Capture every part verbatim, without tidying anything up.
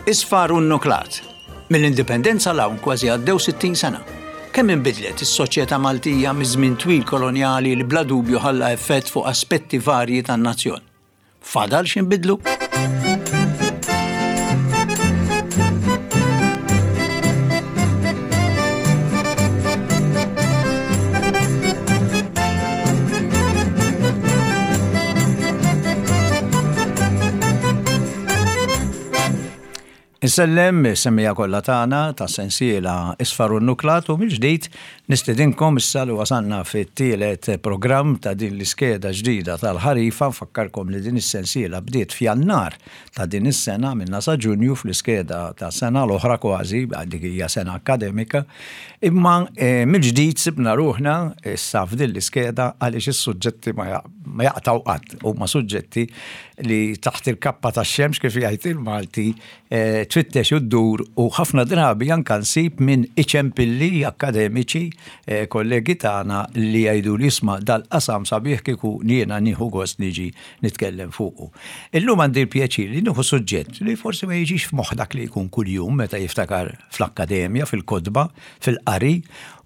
Isfar u nnuklat. Mill-indipendenza 'l hawn kważi għaddew sittin sena. Kemm inbidlet is-soċjetà Maltija miż-żmien twil kolonjali li bla dubju ħalla effett fuq aspetti varji tan-nazzjon. Fadal x'inbidlu? Insellem is-semmiegħa kollha tagħna ta' sensiela Isfar u Nuklat u mill-ġdid nistedinkom issa li wasalna fit-tielet programm ta' din l-iskeda ġdida tal-ħarifa. Nfakkarkom li din is-sensiela bdiet f'Jannar ta' din is-sena minna sa Ġunju fl-iskeda ta' sena l-oħra kważi, dik hija sena akademika. Imma eh, mill-ġdid sibna ruħna issa f'din l-iskeda għaliex is-suġġetti ma jaqtgħu qatt, huma suġġetti li taħt il-kappa tax-xemx kif jgħid il-Malti eh, tfittex u ddur u ħafna drabi anka nsib minn iċempilli akkademiċi eh, kollegi tagħna li jgħidu li isma' dal-qasam sabiħ kieku jiena nieħu gost niġi nitkellem fuqu. Illum għandi l-pjaċir li nieħu suġġett li forsi ma jiġix f'moħħ dak li jkun kuljum meta jiftakar fl-akkademja, fil-kotba, fil-qari,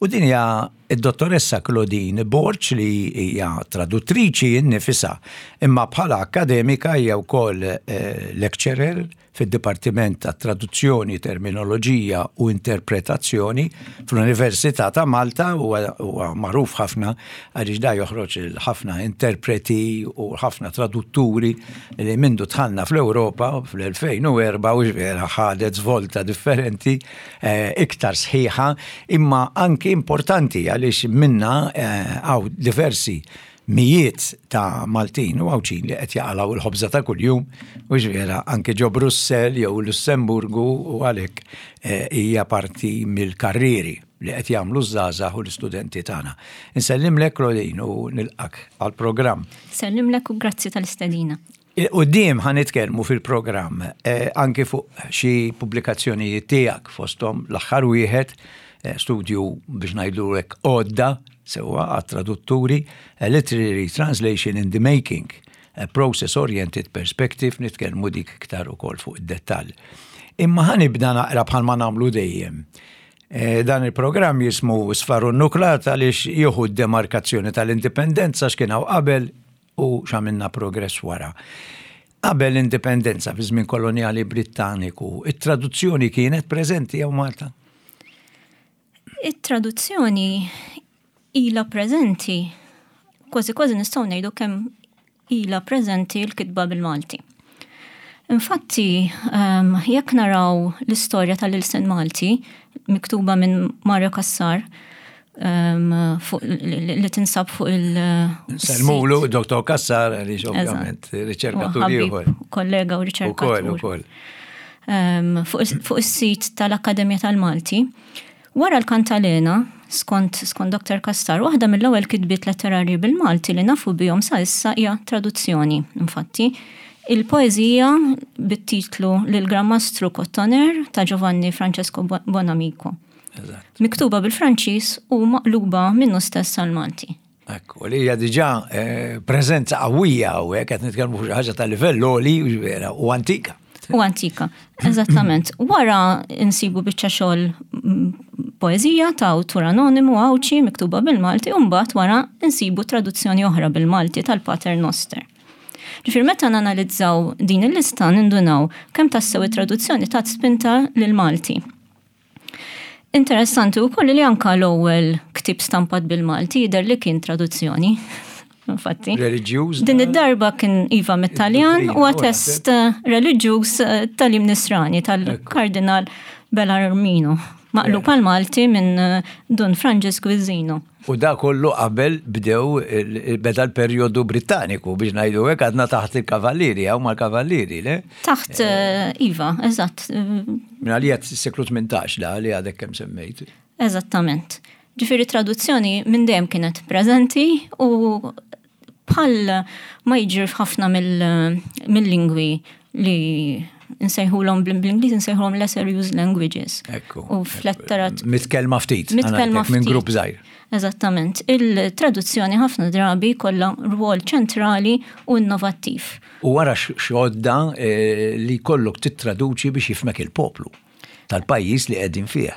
u din hija id-dottoressa Claudine Borg li hija traduttriċi nnifisha, imma bħala akkademika hija wkoll eh, lecturer fid-Dipartiment ta' Traduzzjoni, Terminoloġija u Interpretazzjoni fl-Università ta' Malta. Huwa magħruf ħafna għaliex da joħroġ ħafna interpreti u ħafna tradutturi li mindu dħalna fl-Ewropa fl-elfejn u erbgħa u vera ħadet svolta differenti, eh, iktar sħiħa, imma anki importanti għaliex minna hawn eh, diversi mijiet ta' Maltin u Għawdxin li qed jaqalgħu l-ħobża ta' kuljum u ġvera anke ġo Brussell jew Lussemburgu u għalhekk eh, hija parti mill-karrieri li qed jagħmlu ż-żgħażagħ u l-istudenti tagħna. Insellimlek Claudine u nilqak għall-programm. Sellimlek u grazzi tal-istedina. Quddiem ħa nitkellmu fil-programm eh, anke fuq xi pubblikazzjonijiet tiegħek fosthom l-aħħar wieħed eh, studju biex ngħidu hekk għodda sewwa għat-tradutturi, a Literary Translation in the Making, a Process-Oriented Perspective, nitkellmu dik iktar ukoll fuq id-dettall. Imma ħa nibda naqra bħalma nagħmlu dejjem. Eh, dan il-programm jismu Sfaru Nuklat għaliex jieħu d-demarkazzjoni tal-indipendenza x'kien hawn qabel u x'għamilna progress wara. Qabel l-indipendenza fi żmien kolonjali Brittaniku, it-traduzzjoni kienet preżenti hawn Malta? It-traduzzjoni ilha preżenti, kważi kważi nistgħu ngħidu kemm ilha preżenti l-kitba bil-Malti. Infatti, um, jekk naraw l-istorja tal-ilsien Malti miktuba minn Mario Cassar, um, fuq, li, li tinsab fuq il- Sellmulu, Dottor Cassar, għaliex ovvjament riċerkatur ieħor. Kollega u riċerkatur. Ukoll, ukoll. Um, fuq, fuq is-sit tal-Akkademja tal-Malti. Wara l-Kantalena, skont, skont Dottor Cassar, waħda mill-ewwel kitbiet letterarji bil-Malti li nafu bihom sa issa hija traduzzjoni. Infatti, il-poeżija bit-titlu Lil Gran Mastru Kottoner ta' Giovanni Francesco Bonamico. Eżatt. Miktuba bil-Franċiż u maqluba minnu stess għal-Malti. Ekku, li hija diġà eh, preżenza qawwija u hekk qed nitkellmu fuq xi ħaġa ta' livell għoli vera u antika. U antika, eżattament. Wara insibu biċċa xogħol poeżija ta' awtur anonimu Għawdxi miktuba bil-Malti u mbagħad wara insibu traduzzjoni oħra bil-Malti tal-Pater Noster. Ġifier meta nanalizzaw din il-lista nindunaw kemm tassew it-traduzzjoni tat spinta lil-Malti. Interessanti wkoll li anka l-ewwel ktieb stampat bil-Malti jidher li kien traduzzjoni. Infatti. Reliġjuż. Din id-darba kien iva mit-Taljan u test reliġjuż tal-Im Nisrani tal-Kardinal Bellarmino, maqlub għal Malti minn Dun Franġisku Izzino. U da kollu qabel bdew beda l-perjodu Brittaniku biex ngħidu hekk għadna taħt il-Kavallieri hawn mal-Kavallieri, le? Taħt iva, eżatt. Minn għalija s-seklu tmintax da li għadek kemm semmejt. Eżattament. Ġifieri traduzzjoni minn dejjem kienet preżenti u bħal ma jiġri f'ħafna mill-lingwi li nsejħulhom bl-Ingliż nsejħulhom lesser used languages. Ekku. U fl-letterat. Mitkellma ftit. Mitkellma Minn ftit. grupp żgħir. Eżattament. Il-traduzzjoni ħafna drabi kollha rwol ċentrali u innovattiv. U wara xodda eh, li kollok tittraduċi biex jifhmek il-poplu tal-pajjiż li qegħdin fih.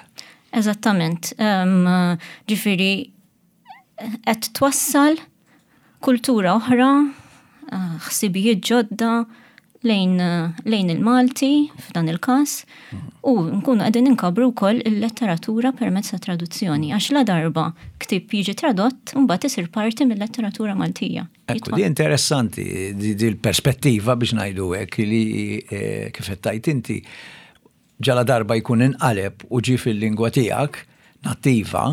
Eżattament. Um, ġifieri, qed twassal kultura oħra, eh, ħsibijiet ġodda lejn, lejn il-Malti f'dan il-każ u nkunu qegħdin inkabru wkoll il-letteratura permezz ta' traduzzjoni għax la darba ktieb jiġi tradott mbagħad isir parti mill-letteratura Maltija. Ekku, di interessanti, di, di l-perspettiva biex ngħidu hekk li eh, kif qed tgħid inti ġala darba jkun inqaleb u ġi fil-lingwa tiegħek nattiva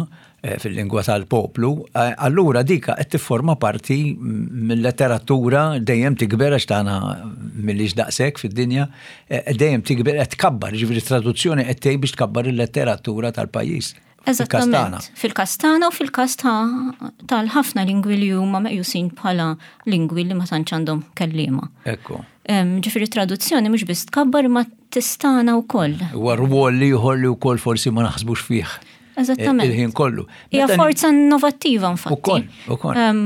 eh, fil-lingwa tal-poplu, eh, allura dika qed tifforma parti mill-letteratura dejjem tikber għax tagħna millix daqshekk fid-dinja, eh, dejjem tikber qed tkabbar, ġifieri traduzzjoni qed tgħid biex tkabbar il-letteratura tal-pajjiż. Fil-Kastana. Eżattament. Fil-Kastana u fil-każ ta' tal-ħafna lingwi li huma meqjusin bħala lingwi li ma tantx għandhom kelliema. Ekku. Em, Ġifieri traduzzjoni mhux biss tkabbar imma tistana wkoll. Huwa rwol li ieħor li wkoll forsi ma naħsbux fih. Eżattament. Il-ħin kollu. Hija Meta- forza innovattiva infatti. Ukoll, ukoll. Em,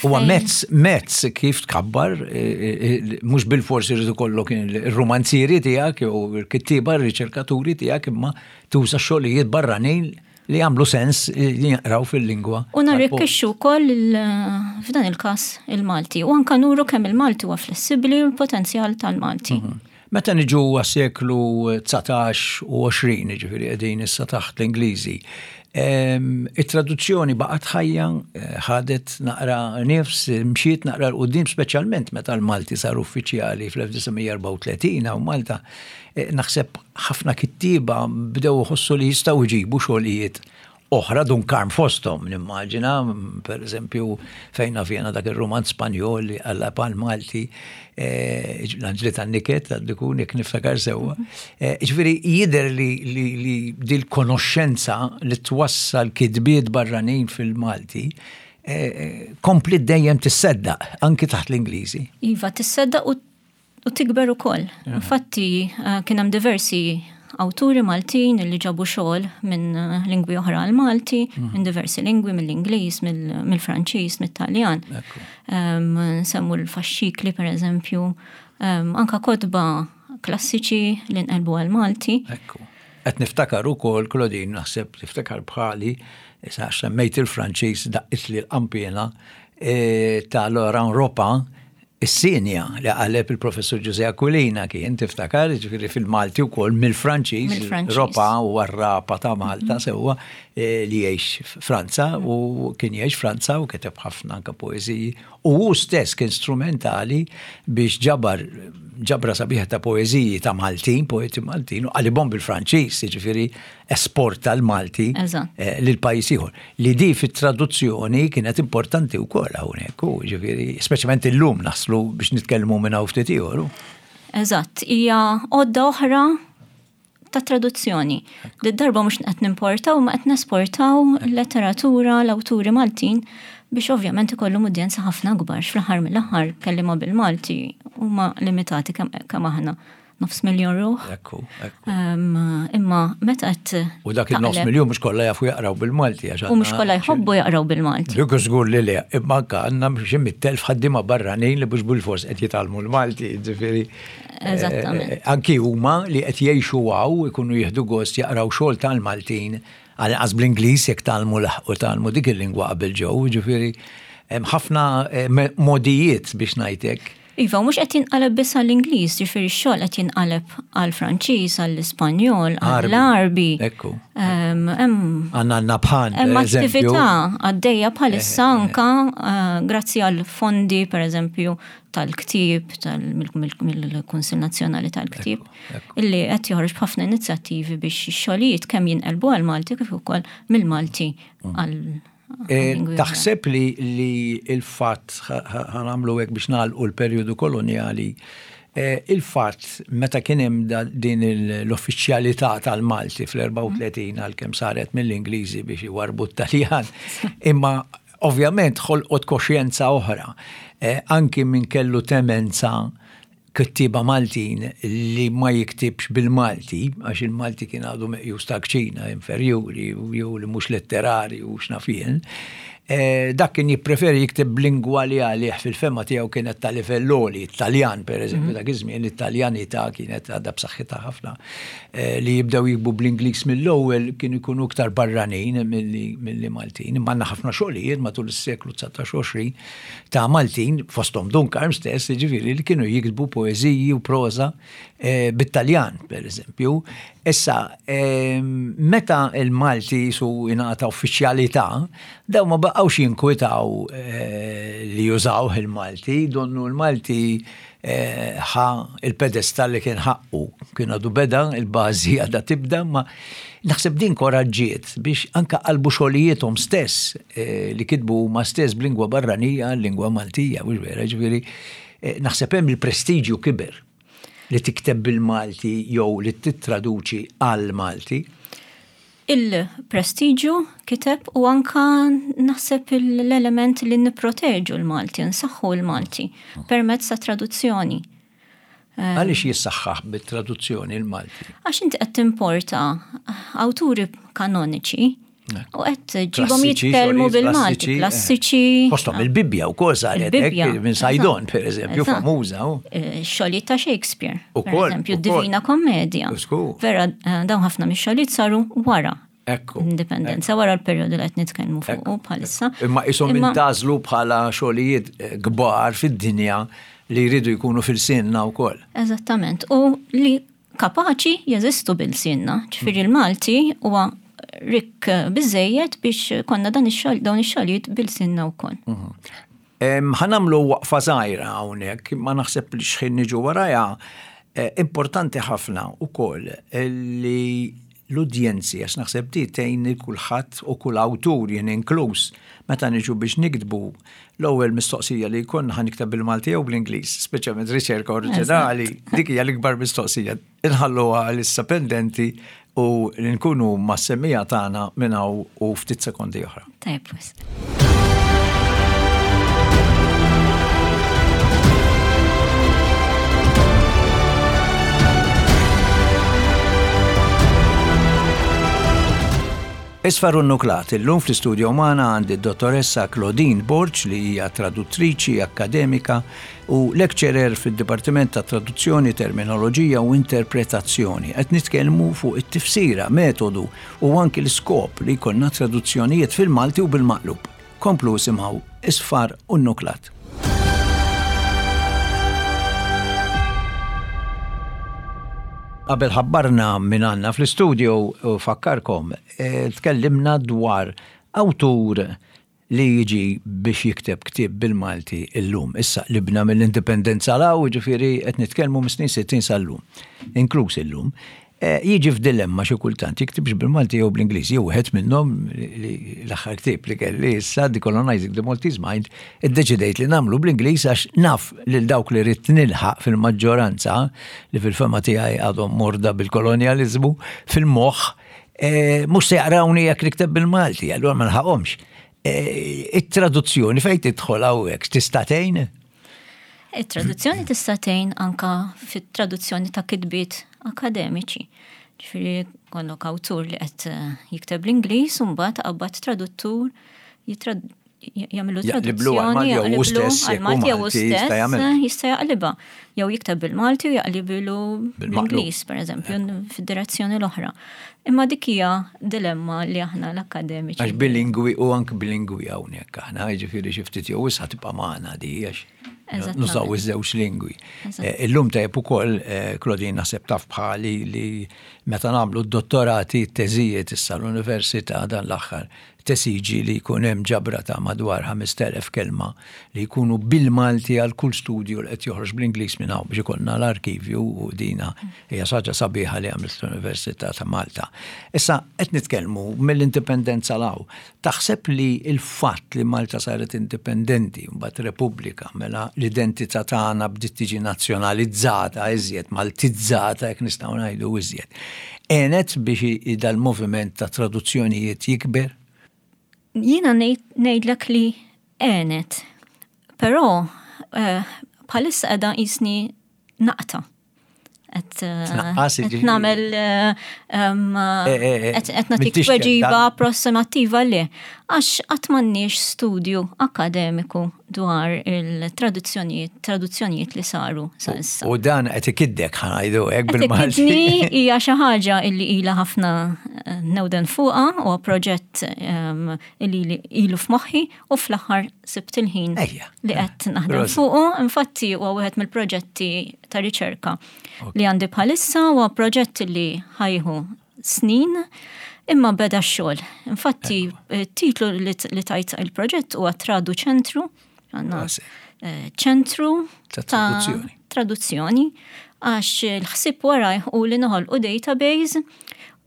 Huwa fejn- mezz, mezz kif tkabbar, eh, eh, mhux bil-forsi irid ikollok il-romanzieri tiegħek jew il-kittieba, ir-riċerkaturi tiegħek, imma tuża xogħlijiet barranin li jagħmlu sens li jaqraw fil-lingwa. U narrikkixxu wkoll il- f'dan il-każ il-Malti. U anka nuru kemm il-Malti huwa flessibbli u l-potenzjal tal-Malti. Meta niġu għas-seklu dsatax u għoxrin, ġifieri qegħdin issa taħt l-Ingliżi, em, it-traduzzjoni baqgħet ħajja, eh, ħadet naqra nifs, mxiet naqra 'l quddiem speċjalment meta l-Malti sar uffiċjali fl-elf disa' mija erbgħa u tletin u Malta, eh, naħseb ħafna kittieba bdew iħossu li jistgħu jġibu xogħlijiet oħra Dun Karm fosthom, nimmaġina, per eżempju, fejn fjena dak il-romanz Spanjol li għalla pan Malti, eh, l-Anġli tan-Niket, għaddikun, jek niftakar sewwa. Eh, Ġifieri, jidher li, li, li dil-konoxxenza li twassal kitbiet barranin fil-Malti, eh, kompli dejjem tisseddaq, anki taħt l-Ingliżi. Iva, tisseddaq u, u tikber ukoll. Infatti, eh, kien hemm diversi awturi Maltin li ġabu xogħol minn eh, lingwi oħra għal Malti, minn diversi lingwi, mill-Ingliż, mill- mill-Franċiż, mit-Taljan. Ekku. Um, nsemmu l-faxxikli, per eżempju, um, anka kotba klassiċi li nqelbu għal Malti. Ekku. Qed niftakar ukoll, Claudine, naħseb tiftakar bħali, issa semmejt il-Franċiż daqqit li l-qanpiena eh, ta' Laurent Ropa, is-Sinja li qaleb il-professur Giuseppe Aquilina kien tiftakar, ġifieri fil-Malti wkoll mill-Franċiż, Mill-Franċiż. Ropa u r-rapa ta' Malta sewwa eh, li jgħix Franza u kien jgħix Franza u kiteb ħafna anka poeżiji u hu stess kien strumentali biex ġabar ġabra sabiħa ta' poeżiji ta' Maltin, poeti Maltin, u qalibhom bil-Franċiż, ġifieri esporta l-Malti Eżatt. eh, lil pajjiż ieħor. Li di fit-traduzzjoni kienet importanti wkoll hawnhekk, u ġifieri speċjalment illum naslu biex nitkellmu minn hawn ftit ieħor. Eżatt, hija għodda oħra ta' traduzzjoni. Did-darba mhux qed nimportaw, ma qed nesportaw l-letteratura, l-awturi Maltin biex ovvjament ikollhom udjenza ħafna akbar. Fl-aħħar mill-aħħar kelliema bil-Malti huma limitati kemm kemm aħna nofs miljon ruħ. Ekku, ekku. Um, imma meta qed U dak il-nofs taqleb- miljon mhux kollha jafu jaqraw bil-Malti għax U mhux għandna kollha jħobbu jaqraw bil-Malti. Dik żgur li le, imma anka għandna xi mitt elf ħaddiema barranin li mhux bil-fors qed jitgħallmu l-Malti, ġifieri. eh, Eżattament. Anki huma li qed jgħixu hawn ikunu jieħdu gost jaqraw xogħol tal-Maltin għal bl-Ingliż jekk tgħallmu laħqu tgħallmu dik il-lingwa qabel ġew, ġifieri hemm ħafna eh, me- modijiet biex ngħidlek. Iva, mhux qed jinqaleb biss għall-Ingliż, ġifieri x-xogħol qed jinqaleb għall-Franċiż, għall-Ispanjol, Għarbi. għall-Arbi. Ekku. Em, Hemm Għandna Nabhan, hemm per eżempju. attività għaddejja bħalissa anka eh, grazzi għal fondi per eżempju tal-ktieb, tal- mill- mill- mill-Kunsill Nazzjonali tal-Ktieb, Ekku, illi qed joħroġ b'ħafna inizjattivi biex ix-xogħlijiet kemm jinqelbu għal-Malti kif ukoll mill-Malti għal Eh, lingwi oħra. Taħseb li, li il-fatt, ħa nagħmlu hekk biex nagħlqu l-perjodu koloniali, eh, il-fatt meta kien hemm da- din il- l-uffiċjalità tal-Malti fl-erbgħa u tletin għalkemm saret mill-Ingliżi biex iwarbu t-Taljan, imma ovvjament ħolqot koxjenza oħra, eh, anki min kellu temenza Kittieba Maltin li ma jiktibx bil-Malti, għax il-Malti kien għadu meqjus ta' kċina inferjuri jew li mhux letterari u x'naf jien, eh, dak kien jippreferi jikteb b'lingwa li għalih fil-fehma tiegħu kienet ta' livell għoli, Italjan per eżempju, mhm. dak iż-żmien l-Italjanità kienet għadha b'saħħitha ħafna. Eh, li jibdew jiktbu bl-Ingliż mill-ewwel kienu jkunu iktar barranin milli Maltin. Imma għandna ħafna xogħlijiet matul is-seklu dsatax ta' Maltin, fosthom Dun Karm stess, ġifieri li kienu jiktbu poeżiji u proża eh, bit-Taljan, per eżempju. Issa, meta il-Malti su ingħata uffiċjalità, daw ma baqgħux jinkwitaw eh, li jużaw il-Malti, donnu l-Malti eh, ħa il-pedestal li kien ħaqqu. Kien għadu beda, il-bażi għadha tibda, ma naħseb din koraġġiet biex anka qalbu xogħlijiethom stess li kitbu ma stess b'lingwa barranija, lingwa Maltija, mhux vera, ġifieri naħseb hemm il-prestiġju kiber li tikteb bil-Malti jew li tittraduċi għal-Malti. Il-prestiġju kiteb u anka naħseb l-element li nipproteġu l-Malti, nsaħħu l-Malti permezz ta' traduzzjoni. Għaliex jissaħħaħ bit-traduzzjoni l-Malti? Għax inti qed timporta awturi kanoniċi u qed ġibhom jitkellmu bil-Malti, klassiċi. Fosthom il-Bibbja wkoll saret hekk minn Saydon, per eżempju, famuża. Xogħlijiet ta' Shakespeare, per eżempju, Divina Commedia. Vera, dawn ħafna mix-xogħlijiet saru wara. Indipendenza wara l-perjodu li qed nitkellmu fuq bħalissa. Imma ishom intgħażlu bħala xogħlijiet kbar fid-dinja li jridu jkunu f'ilsienna wkoll. Eżattament. U li kapaċi jeżistu b'ilsienna. Ġifieri l-Malti huwa rikk biżejjed biex konna dan ix-xogħol dawn ix-xogħlijiet b'ilsienna wkoll. Ħa nagħmlu waqfa żgħira hawnhekk, ma naħseb li xħin niġu warajha importanti ħafna ukoll li l-udjenzi, għax naħseb di tgħin kulħadd u kull awtur jien inkluż, meta niġu biex nikdbu l-ewwel mistoqsija li jkun ħa nikteb bil-Malti jew bl-Ingliż, speċjalment riċerka oriġinali, dik hija l-ikbar mistoqsija. Inħalluha issa pendenti u nkunu mas-semmiegħa tagħna minn hawn u ftit sekondi oħra. Tajjeb, wisq. Isfar u Nuklat, illum fl-istudio magħna għandi d-dottoressa Claudine Borg li hija traduttriċi akkademika u lecturer fid-Dipartiment ta' Traduzzjoni, Terminoloġija u Interpretazzjoni. Qed nitkellmu fuq it-tifsira, metodu u anki l-iskop li jkollna traduzzjonijiet fil-Malti u bil-maqlub. Komplu isimgħu Isfar u Nuklat. Qabel ħabbarna minn għandna fl-istudio u fakkarkom, eh, tkellimna dwar awtur li jiġi biex jikteb ktieb bil-Malti illum. Issa libna mill-indipendenza 'l hawn, ġifieri qed nitkellmu mis-snin sittin sal-lum, inkluż illum. Eh, jiġi f'dilemma xi kultant jiktibx bil-Malti jew bl-Ingliż, jew wieħed minnhom li l-aħħar ktieb li kelli issa Decolonizing the Maltese Mind, iddeċidejt li nagħmlu bl-Ingliż għax naf lil dawk li rrid nilħaq fil-maġġoranza li fil-fema tiegħi għadhom morda bil-kolonjaliżmu fil-moħħ, eh, mhux se jaqrawni jekk nikteb bil-Malti, allura ma nilħaqhomx. Eh, it-traduzzjoni fejn tidħol hawnhekk tista' tgħin? It-traduzzjoni tista' tgħin anka fit-traduzzjoni ta' kitbiet akademiċi. Ġifieri kollok awtur li qed eh, jikteb l-Ingliż u mbagħad qabad traduttur jagħmlu traduzzjoni jaqliblu għal-Malti jew stess jista' jaqlibha. Jew jikteb bil-Malti u jaqlibilu bl-Ingliż, pereżempju, fid-direzzjoni l-oħra. Imma dik hija dilemma li aħna l-akademiċi. Għax bilingwi u anke bilingwi hawnhekk aħna, jiġifieri xi ftit jew issa tibqa' magħna di għax nużaw iż-żewġ lingwi. Eh, illum tajjeb ukoll, eh, Claudine naħseb taf bħali li meta nagħmlu d-dottorati, t-teżijiet issa l-università dan l-aħħar tesiġi li jkun hemm ġabra ta' madwar ħamest elef kelma li jkunu bil-Malti għal kull studju li qed joħroġ bl-Ingliż minn hawn biex ikollna l-arkivju u dina hija xi ħaġa sabiħa li għamlet l-Università ta' Malta. Issa qed nitkellmu mill-indipendenza 'l hawn. Taħseb li l-fatt li Malta saret indipendenti mbagħad Repubblika mela l-identità tagħna bdiet tiġi nazzjonalizzata iżjed, maltizzata jekk nistgħu ngħidu iżjed. Għenet biex dal-moviment ta' traduzzjonijiet jikber? Jiena ngħidlek li għenet, però eh, bħalissa qiegħda qisni Naqta'. Qed eh, nagħmel eh, eh, qed nagħtik tweġiba approssimattiva li għax qatt m'għandniex studju akademiku dwar il-traduzzjonijiet traduzzjonijiet li saru sa issa. U dan qed ikiddek, ħa ngħidu hekk bil-Malti. Hija xi ħaġa illi ilha ħafna newden fuqha u proġett illi ilu f'moħħi u fl-aħħar sibt il-ħin li qed naħdem fuqu. Infatti huwa wieħed mill-proġetti ta' riċerka li għandi bħalissa, huwa proġett li ħa jieħu snin imma beda x-xogħol. Infatti titlu li tajt il-proġett huwa Tradu Ċentru, għandna eh, ċentru ta' traduzzjoni, għax l-ħsib waraj u li noħolqu database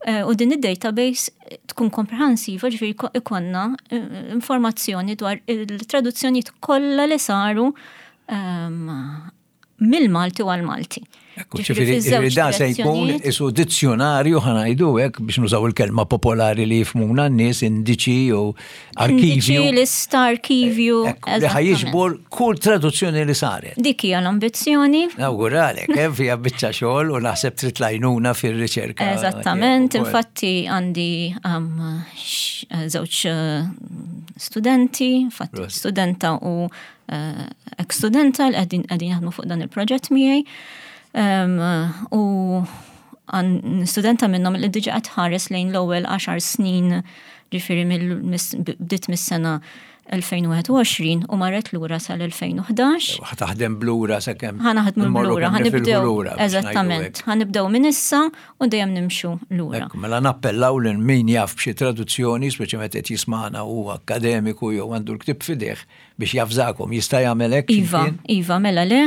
eh, u din id-database tkun komprensiva, ġifieri ikollna eh, informazzjoni dwar il-traduzzjonijiet kollha li saru ehm, mill-Malti u għal-Malti. Ġifieri da se jkun isu dizzjonarju, ħa ngħidu hekk biex nużaw il-kelma popolari li jifhmuna n-nies, indiċi u arkivju. Indiċi, lista, arkivju. Li ħa jiġbor kull traduzzjoni li saret. Dik hija l-ambizzjoni. Nawguralek, eh, fija biċċa xogħol u naħseb trid l-għajnuna fir-riċerka. Eżattament, infatti għandi um, żewġ uh, studenti, infatti studenta u uh, ex-studenta li qegħdin jaħdmu fuq dan il-proġett miegħi. U studenta minnhom li diġa qed tħares lejn l-ewwel għaxar snin, ġifieri bdiet mis-sena elfejn u wieħed u għoxrin u marret lura sal-elfejn u ħdax. Ħa taħdem b'lura sakemm. Ħa naħdmu b'lura, ħa nibdew. Eżattament, ħa nibdew minn issa u dejjem nimxu lura. Mela nappellaw lil min jaf b'xi traduzzjoni, speċjalment qed jismana u akademiku jew għandu l-ktib f'idejh, biex javżakom, jista' jagħmel hekk? Iva, iva, mela le.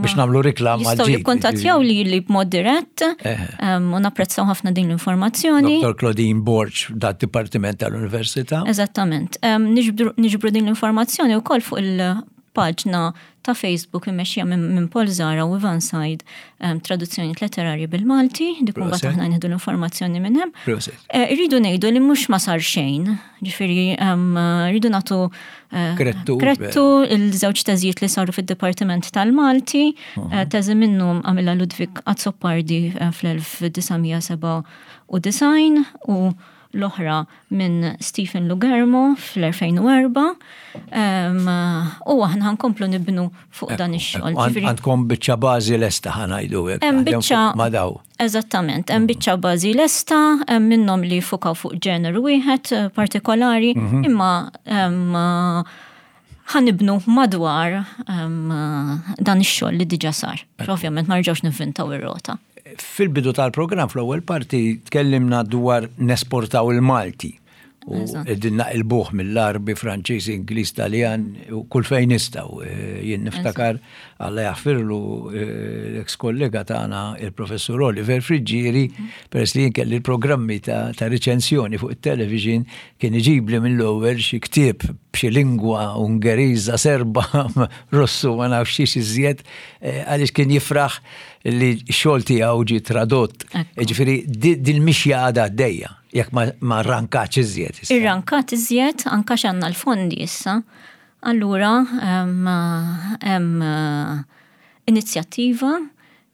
Biex nagħmlu reklam. Jistgħu jikkontattjaw li li b'mod dirett u napprezzaw ħafna din l-informazzjoni. Doktor Claudine Borg dad-Dipartiment tal-Università. Eżattament. Niġbru din l-informazzjoni wkoll fuq il-paġna ta' Facebook immexxija minn Paul Zara u Ivan Said, Traduzzjoni Letterarji bil-Malti, dik mbagħad aħna nieħdu l-informazzjoni minn hemm. Eh, irridu ngħidu li mhux ma sar xejn, ġifieri rridu nagħtu eh, krettu il-żewġ teżijiet li saru fid-Dipartiment tal-Malti, eh, teżi minnhom għamilha Ludwig Azzopardi fl-elf disa' mija sebgħa u disgħin u l-oħra minn Stephen Lughermo fl-elfejn u erbgħa, u aħna ħa nkomplu nibnu fuq dan ix-xogħol. Għandkom biċċa bażi lesta, ħa ngħidu hekk. Hemm biċċa ma daw. Eżattament, hemm biċċa bażi lesta, hemm minnhom li fukaw fuq ġeneru wieħed eh, partikolari, mhm. imma ħa nibnu madwar dan ix-xogħol li diġà sar. Ovvjament ma rġgħux nivvintaw ir-rota. Fil-bidu tal-programm, fl-ewwel parti, tkellimna dwar nesportaw il-Malti. U din naqilbuh mill-Għarbi, Franċiż, Ingliż, Taljan, u kull fejn nistgħu. E, jien niftakar, Alla jaħfirlu, e, l-ex kollega tagħna il-professur Oliver Friggieri, peress li jien kelli l-programmi ta' riċensjoni fuq it-television, kien iġibli mill-ewwel xi ktieb b'xi lingwa Ungeriża, Serba, Russu, ma nafx xiex iżjed, e, għaliex kien jifraħ li x-xogħol tiegħu ġi tradott. Ġifieri dil-mixja għadha għaddejja, jekk ma rrankatx iżjed. Irrankat iżjed, anka għandna l-fondi issa. Allura, hemm inizjattiva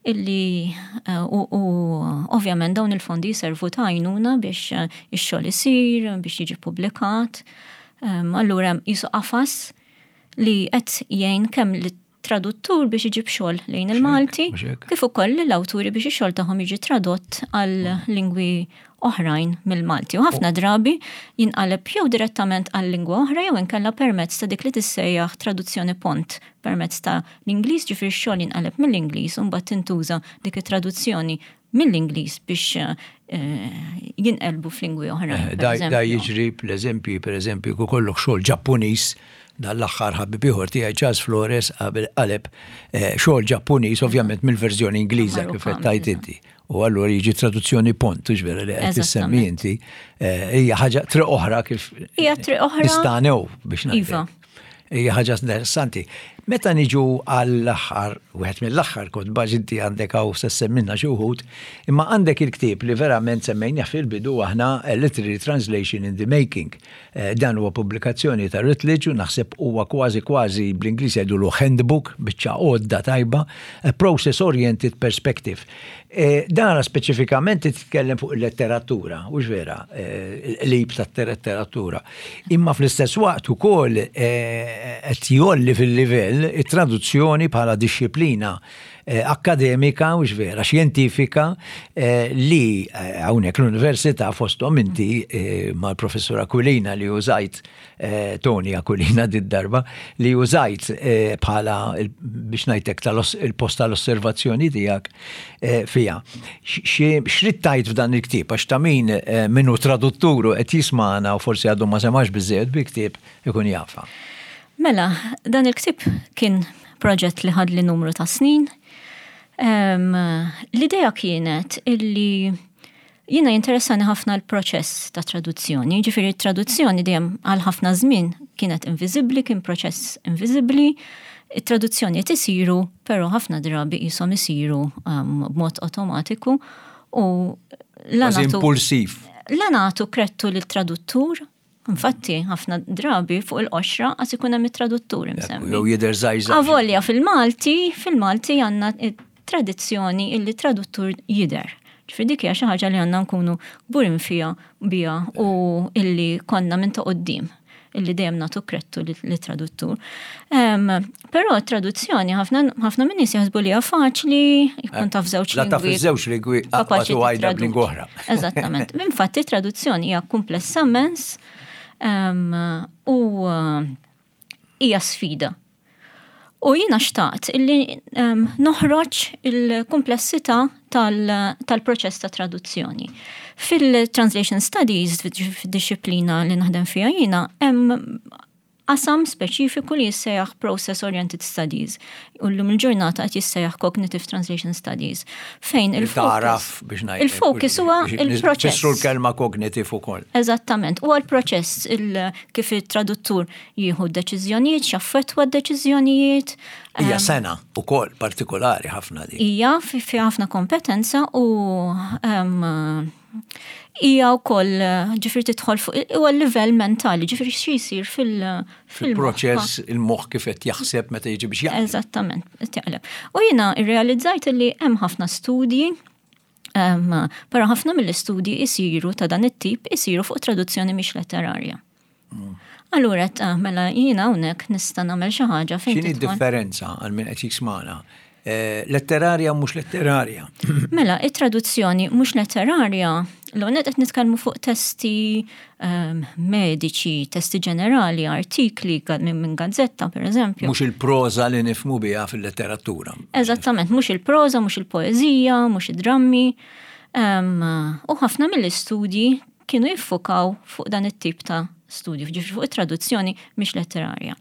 illi eh, u, u ovvjament dawn il-fondi jiservu ta' għajnuna biex eh, ix-xogħol isir, biex jiġi publikat. Allura hemm qisu qafas li qed jgħin kemm lit-traduttur biex iġib xogħol lejn il-Malti, kif ukoll l-awturi biex ix-xogħol tagħhom jiġi tradott għal lingwi oħrajn mill-Malti. U ħafna drabi jinqaleb jew direttament għal lingwa oħra jew inkella permezz ta' dik li tissejjaħ traduzzjoni pont permezz ta' l-Ingliż, ġifieri x-xogħol jinqaleb mill-Ingliż u mbagħad tintuża dik it-traduzzjoni mill-Ingliż biex eh, jinqelbu f'lingwi oħrajn. Eh, da da jiġri bl-eżempju, per eżempju, kollok xogħol Ġappuniż, dal-aħħar ħabib ieħor tiegħi Charles Flores qabel qaleb eh, xogħol Ġappuniż, ovvjament mill-verżjoni Ingliża kif qed tajt inti. U allura jiġi traduzzjoni pont, hux vera li qed tissemmi inti, eh, hija ħaġa triq oħra kif Hija triq oħra. Nistanew biex ngħid. Iva. Hija ħaġa interessanti. Meta niġu għall-aħħar, wieħed mill-aħħar kotba ġiddi għandek hawn se semmilna xi wħud, imma għandek il-ktieb li verament semmejna fil-bidu aħna, Literary Translation in the Making. Eh, dan huwa pubblikazzjoni ta' Routledge u naħseb huwa kważi kważi, bl-Ingliż jgħidulu handbook, biċċa għodda tajba, a process oriented perspective. Eh, dana speċifikament titkellem fuq il-letteratura, u vera, eh, il-lib ta' letteratura. Imma fl-istess waqt ukoll qed jgħolli fil-livell it-traduzzjoni bħala dixxiplina akkademika u vera, xjentifika, li hawnhekk l-università, fosthom inti mal-professur Aquilina li użajt, Tony Aquilina did-darba, li użajt bħala, biex ngħidlek, il-post tal-osservazzjoni tiegħek fija. X'ridt tgħid f'dan il-ktieb, għax ta' min minnu tradutturu qed jismagħna u forsi għadu ma semax biżejjed bil-ktieb ikun jafa. Mela, dan il-ktieb kien proġett li ħadli numru ta' snin. L-idea kienet illi jiena jinteressani ħafna l-proċess ta' traduzzjoni. Ġifieri traduzzjoni dejjem għal ħafna żmien kienet inviżibbli, kien proċess inviżibbli. It-traduzzjoni isiru, però ħafna drabi jisom isiru b'mod automatiku u la impulsiv. La nagħtu kredtu lil traduttur. Infatti, ħafna drabi fuq il-qoxra għas ikun hemm it-traduttur imsemmi. Jew jidher żgħir. Avolja fil-Malti, fil-Malti għandna tradizzjoni illi traduttur jidher. Ġifieri dik hija xi ħaġa li għandna nkunu kburin fiha biha u illi konna minn ta' quddiem illi dejjem nagħtu kredtu lit-traduttur. Però traduzzjoni ħafna minn nies jaħsbu li hija faċli, jkun taf żewġ lingwi. La taf żewġ lingwi, kapaċi għajda b'lingwa oħra. Eżattament. Infatti traduzzjoni hija komplessa immens u hija sfida. U jiena xtaqt illi um, noħroġ il-komplessità tal-proċess tal ta' traduzzjoni. Fil-Translation Studies, fil-disciplina li naħdem fija jiena, hemm qasam speċifiku li jissejjaħ Process Oriented Studies. U llum il-ġurnata qed jissejjaħ Cognitive Translation Studies. Fejn il-focus biex ngħid. Il-focus huwa il-proċess. Fissru l-kelma cognitive ukoll. Eżattament. Huwa l-proċess, kif it-traduttur jieħu d-deċiżjonijiet, x'affettwa d-deċiżjonijiet. Hija sengħa ukoll partikolari ħafna di. Hija fi ħafna kompetenza u hija wkoll, ġifieri tidħol fuq huwa l-livell mentali, ġifieri xi jsir fil- fil-proċess, il-moħħ kif qed jaħseb meta jiġi biex jaqleb. Eżattament, jaqleb. U jiena rrealizzajt li hemm ħafna studji. Però ħafna mill-istudji isiru ta' dan it-tip isiru fuq traduzzjoni mhix letterarja. Mm. Allura, mela jiena hawnhekk nista' nagħmel xi ħaġa fejn. X'inhi differenza għal min qed jismana? Eh, letterarja u mhux letterarja? Mela, it-traduzzjoni mhux letterarja, l-għonet qed nitkellmu fuq testi um, mediċi, testi ġenerali, artikli minn gazzetta, per eżempju. Mhux il-proza li nifhmu biha fil-letteratura. Eżattament, mhux il-proza, mhux il-poezija, mhux id-drammi. Um, u ħafna mill-istudji kienu jiffukaw fuq dan it-tip ta' studju, ġifieri fuq it-traduzzjoni mhix letterarja.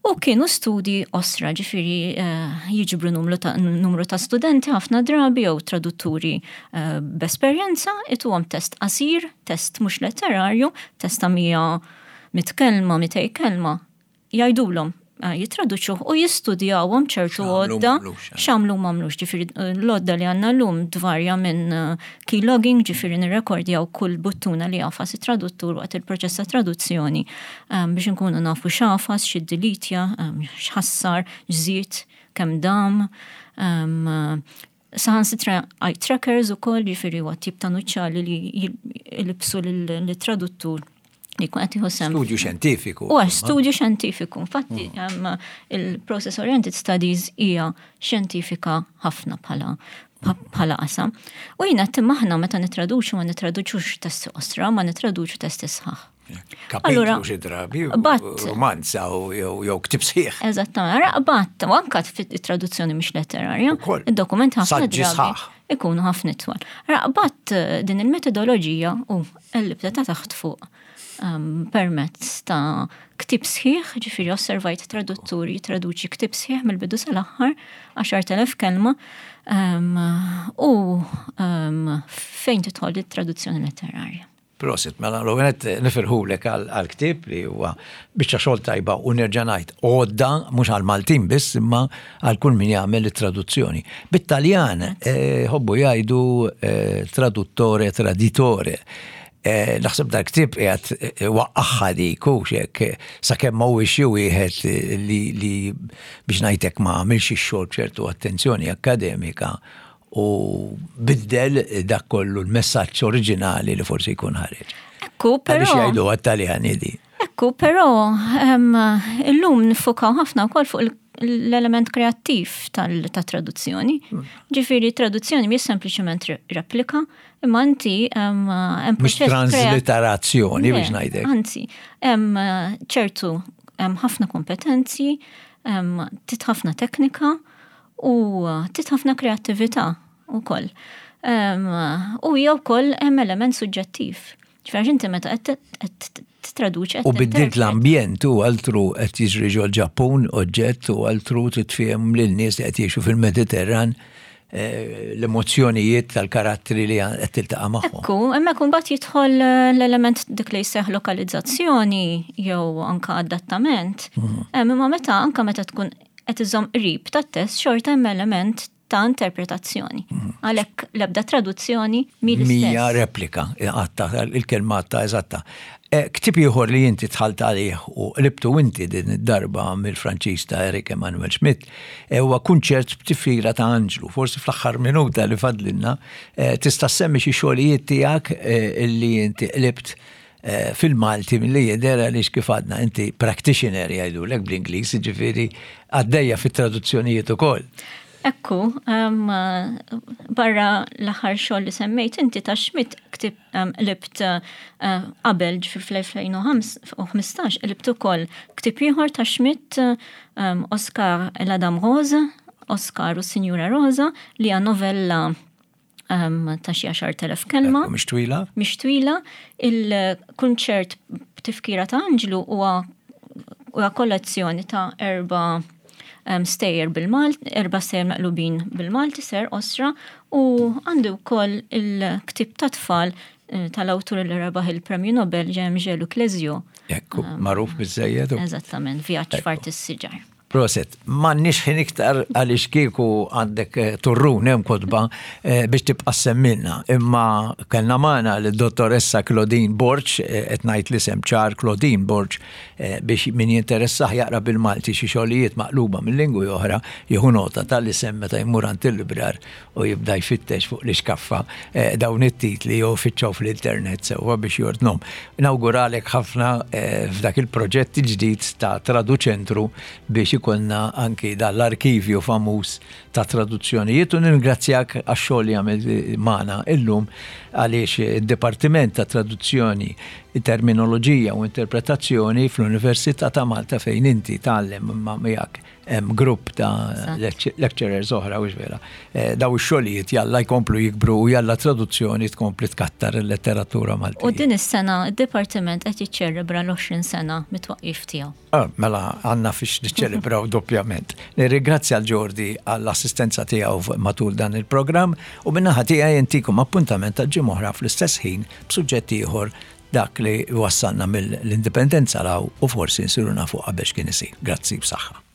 U kienu studi qosra, ġifieri uh, jiġbru numru ta', numru ta' studenti ħafna drabi jew tradutturi uh, b'esperjenza, ituhom test qasir, test mhux letterarju, test ta' mija mitt kelma, mitej kelma, jgħidulhom eh, jitraduċuh u jistudjawhom ċertu għodda x'għamlu m'għamlux. Ġifieri l-għodda li għandna llum tvarja minn keylogging, ġifieri nirrekordjaw kull buttuna li jagħfas it-traduttur waqt il-proċess ta' traduzzjoni biex nkunu nafu x'għafas, x'iddelitja, x'ħassar, x'żied, kemm dam, saħansitra eye trackers ukoll, ġifieri huwa tip ta' nuċċali li jilbsu l-traduttur li jkun qed jieħu sehem. Studju xjentifiku. U studju xjentifiku. Infatti mm. il-Process Oriented Studies hija xjentifika ħafna bħala bħala qasam. U jiena aħna meta nitraduċu ma nitraduċux testi qosra, ma nitraduċu testi sħaħ. Kapitlu xi drabi, romanza u jew ktieb sħiħ. Eżattament, raqbat, u anka fit-traduzzjoni mhix letterarja, id-dokument ħafna drabi ikunu ħafna itwal. Raqbat din il-metodoloġija u l-libda ta' taħt fuq um, permezz ta' ktieb sħiħ, ġifieri osservajt tradutturi jitraduċi ktieb sħiħ mill-bidu sal-aħħar, għaxart elef kelma, um, u um, fejn tidħol it-traduzzjoni letterarja. Prosit, mela l-għonet nifirħulek għal-ktieb li huwa biċċa xogħol tajba u nerġa' ngħid għodda mhux għal-Maltin biss imma għal kull min jagħmel it-traduzzjoni. Bit-Taljan eh, ħobbu jgħidu eh, traduttore traditore. Eh, naħseb dal-ktieb qiegħed waqqaħħa dik u hekk sakemm ma huwiex xi wieħed li, li biex ngħidlek ma għamilx ix-xogħol b'ċertu attenzjoni akkademika u biddel dak kollu l-messaġġ oriġinali li forsi jkun ħareġ. Ekku, però. Għaliex jgħidu għat-Taljani di. Ekku, però illum nifukaw ħafna wkoll fuq l-element kreattiv tal-traduzzjoni. Hmm. Ġifieri, traduzzjoni mhix sempliċement replika, imma inti hemm Mhux transliterazzjoni biex ngħidlek. Anzi, hemm ċertu hemm ħafna kompetenzi, trid ħafna teknika u trid ħafna kreattività ukoll. U hija wkoll hemm element suġġettiv. Ġifieri inti meta qed titraduċi. U biddilt l-ambjent u altru qed jiġri ġol-Ġappun oġġett u altru titfiem lil nies li qed jgħixu fil-Mediterran eh, l-emozzjonijiet tal-karattri li qed tiltaqa' magħhom. Ekku, hemmhekk imbagħad jidħol l-element dik li jseħħ lokalizzazzjoni jew anka adattament. Mhm. Imma meta anka meta tkun qed iżomm qrib tat-test xorta hemm element ta' interpretazzjoni. Mhm. Għalhekk l-ebda traduzzjoni mi Mija replika, għatta, il-kelma għatta eżatta. Eh, ktieb ieħor li inti dħalt għalih u qlibtu inti din id-darba mill-Franċiż ta' Eric Emmanuel Schmitt eh, huwa Kunċert b'Tifkira ta' Anġlu. Forsi fl-aħħar minuta li fadlilna eh, tista' semmi xi xogħlijiet tiegħek illi inti qlibt fil-Malti mill-li jidher għaliex kif għadna inti practitioner jgħidulek bl-Ingliż, ġifieri għaddejja fit-traduzzjonijiet ukoll. Ekku, um, barra l-aħħar xogħol li semmejt inti ta' Schmitt ktib um, qlibt uh, qabel ġifieri fl-elfejn u ħmistax qlibt ukoll ktieb ieħor ta' Schmitt, um, Oscar et la Dame Rose, Oscar u Sinjura Rosa, li hija novella um, ta' xi għaxart elef kelma. Mhix twila? Mhix twila. Il-Kunċert b'Tifkira ta' Anġlu huwa huwa kollezzjoni ta' erba' um, stejjer bil-Malti, erba' stejjer meqlubin bil-Malti, ser osra, u għandi wkoll il-ktieb ta' tfal eh, tal-awtur li rebaħ il-Premju Nobel, Jean-Luc Clésieux. Ekku, magħruf biżżejjed. Eżattament, Vjaġġ f'Art is-Siġar. Prosit, m'għandniex ħin iktar għaliex kieku għandek eh, turrun hemm kotba eh, biex tibqa' semmilna. Imma kellna magħna l-dottoressa Claudine Borg, eh, qed ngħid l-isem ċar, Claudine Borg, biex min jinteressah jaqra bil-Malti xi xogħlijiet maqluba mill-lingwi oħra jieħu nota tal-isem meta jmur għand il-librar u jibda jfittex fuq l-iskaffa dawn it-titli jew fittxew fl-internet sewwa biex jordnhom. Nawguralek ħafna f'dak il-proġett il-ġdid ta' Traduċentru biex ikollna anki dal-arkivju famuż ta' traduzzjonijiet u ningrazzjak għax-xogħol li għamilt magħna illum għaliex id-Dipartiment ta' Traduzzjoni, Terminoloġija u Interpretazzjoni fl-Università ta' Malta fejn inti tgħallem ma' miegħek hemm grupp ta' lecturers oħra u vera. Eh, daw ix-xogħlijiet jalla jkomplu jikbru u jalla traduzzjoni tkompli tkattar il-letteratura Maltija. U din is-sena id-dipartiment qed jiċċelebra l-għoxrin sena mit-twaqqif tiegħu. Ah, mela għandna fiex niċċelebraw doppjament. Nirringrazzja l-Ġordi għall-assistenza tiegħu matul dan il-programm u min-naħa tiegħi intikom appuntament ta' ġimgħa oħra fl-istess ħin b'suġġett ieħor, dak li wassalna mill-indipendenza 'l hawn u forsi nsiru nafu qabel x'kien isir. Grazzi b'saħħa.